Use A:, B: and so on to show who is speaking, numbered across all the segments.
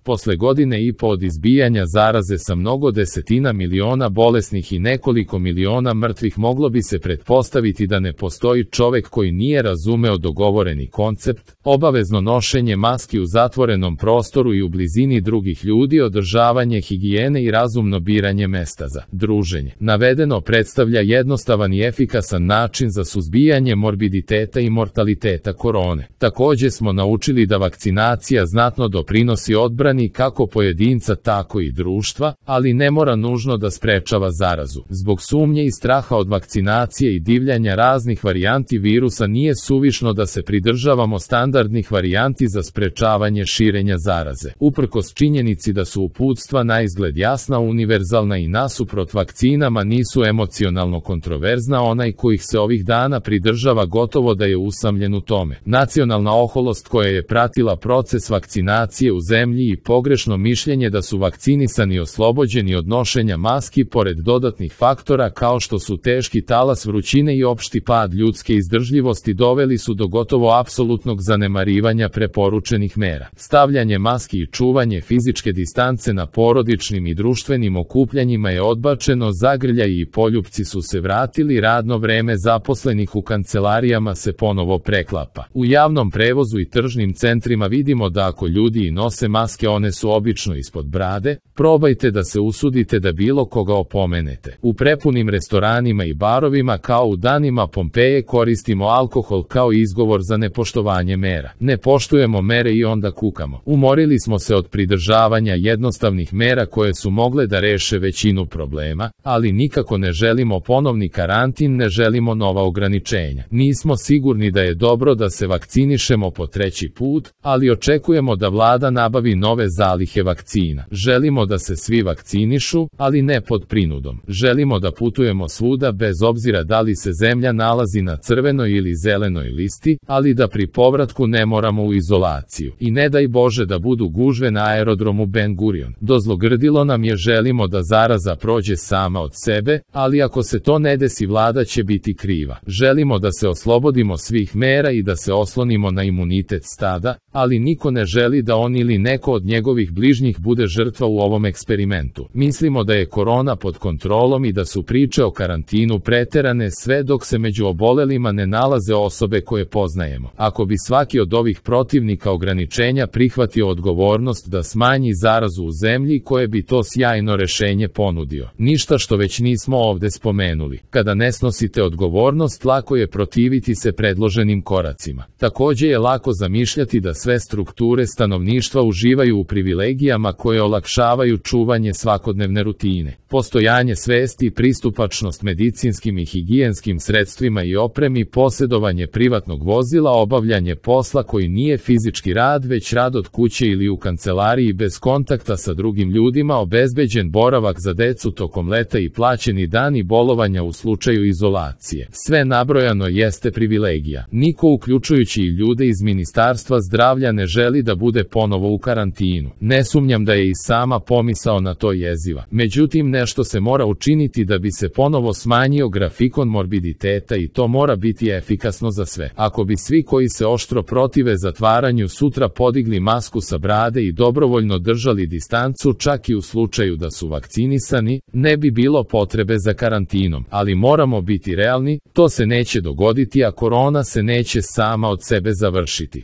A: Posle godine i po od izbijanja zaraze sa mnogo desetina miliona bolesnih i nekoliko miliona mrtvih moglo bi se pretpostaviti da ne postoji čovek koji nije razumeo dogovoreni koncept, obavezno nošenje maski u zatvorenom prostoru i u blizini drugih ljudi, održavanje higijene i razumno biranje mesta za druženje. Navedeno predstavlja jednostavan i efikasan način za suzbijanje morbiditeta i mortaliteta korone. Takođe smo naučili da vakcinacija znatno doprinosi odbrani kako pojedinca tako i društva, ali ne mora nužno da sprečava zarazu. Zbog sumnje i straha od vakcinacije i divljanja raznih varijanti virusa nije suvišno da se pridržavamo standardnih varijanti za sprečavanje širenja zaraze. Uprkos činjenici da su uputstva naizgled jasna, univerzalna i nasuprot vakcinama nisu emocionalno kontroverzna, onaj kojih se ovih dana pridržava gotovo da je usamljen u tome. Nacionalna oholost koja je pratila proces vakcinacije u zemlji i pogrešno mišljenje da su vakcinisani oslobođeni od nošenja maski pored dodatnih faktora kao što su teški talas vrućine i opšti pad ljudske izdržljivosti doveli su do gotovo apsolutnog zanemarivanja preporučenih mera. Stavljanje maski i čuvanje fizičke distance na porodičnim i društvenim okupljanjima je odbačeno, zagrljaji i poljupci su se vratili, radno vreme zaposlenih u kancelarijama se ponovo preklapa. U javnom prevozu i tržnim centrima vidimo da ako ljudi i nose maske, one su obično ispod brade. Probajte da se usudite da bilo koga opomenete. U prepunim restoranima i barovima kao u danima Pompeje koristimo alkohol kao izgovor za nepoštovanje mera. Ne poštujemo mere i onda kukamo. Umorili smo se od pridržavanja jednostavnih mera koje su mogle da reše većinu problema, ali nikako ne želimo ponovni karantin, ne želimo nova ograničenja. Nismo sigurni da je dobro da se vakcinišemo po treći put, ali očekujemo da vlada nabavi nove zalihe vakcina. Želimo da se svi vakcinišu, ali ne pod prinudom. Želimo da putujemo svuda bez obzira da li se zemlja nalazi na crvenoj ili zelenoj listi, ali da pri povratku ne moramo u izolaciju. I ne daj Bože da budu gužve na aerodromu Ben Gurion. Dozlogrdilo nam je, želimo da zaraza prođe sama od sebe, ali ako se to ne desi, vlada će biti kriva. Želimo da se oslobodimo svih mera i da se oslonimo na imunitet stada, ali niko ne želi da on ili neko od njegovih bližnjih bude žrtva u ovom eksperimentu. Mislimo da je korona pod kontrolom i da su priče o karantinu preterane sve dok se među obolelima ne nalaze osobe koje poznajemo. Ako bi svaki od ovih protivnika ograničenja prihvatio odgovornost da smanji zarazu u zemlji, koje bi to sjajno rešenje ponudio? Ništa što već nismo ovde spomenuli. Kada ne snosite odgovornost, lako je protiviti se predloženim koracima. Takođe je lako zamišljati da sve strukture stanovništva uživaju u privilegijama koje olakšavaju čuvanje svakodnevne rutine. Postojanje svesti, pristupačnost medicinskim i higijenskim sredstvima i opremi, posjedovanje privatnog vozila, obavljanje posla koji nije fizički rad već rad od kuće ili u kancelariji bez kontakta sa drugim ljudima, obezbeđen boravak za decu tokom leta i plaćeni dani bolovanja u slučaju izolacije. Sve nabrojano jeste privilegija. Niko, uključujući i ljude iz Ministarstva zdravlja, ne želi da bude ponovo u karantinu. Ne sumnjam da je i sama pomisao na to jeziva. Međutim, nešto se mora učiniti da bi se ponovo smanjio grafikon morbiditeta i to mora biti efikasno za sve. Ako bi svi koji se oštro protive zatvaranju sutra podigli masku sa brade i dobrovoljno držali distancu čak i u slučaju da su vakcinisani, ne bi bilo potrebe za karantinom. Ali moramo biti realni, to se neće dogoditi, a korona se neće sama od sebe završiti.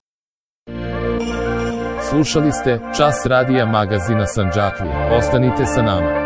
A: Slušali ste Čas radija magazina Sandžaklije. Ostanite sa nama.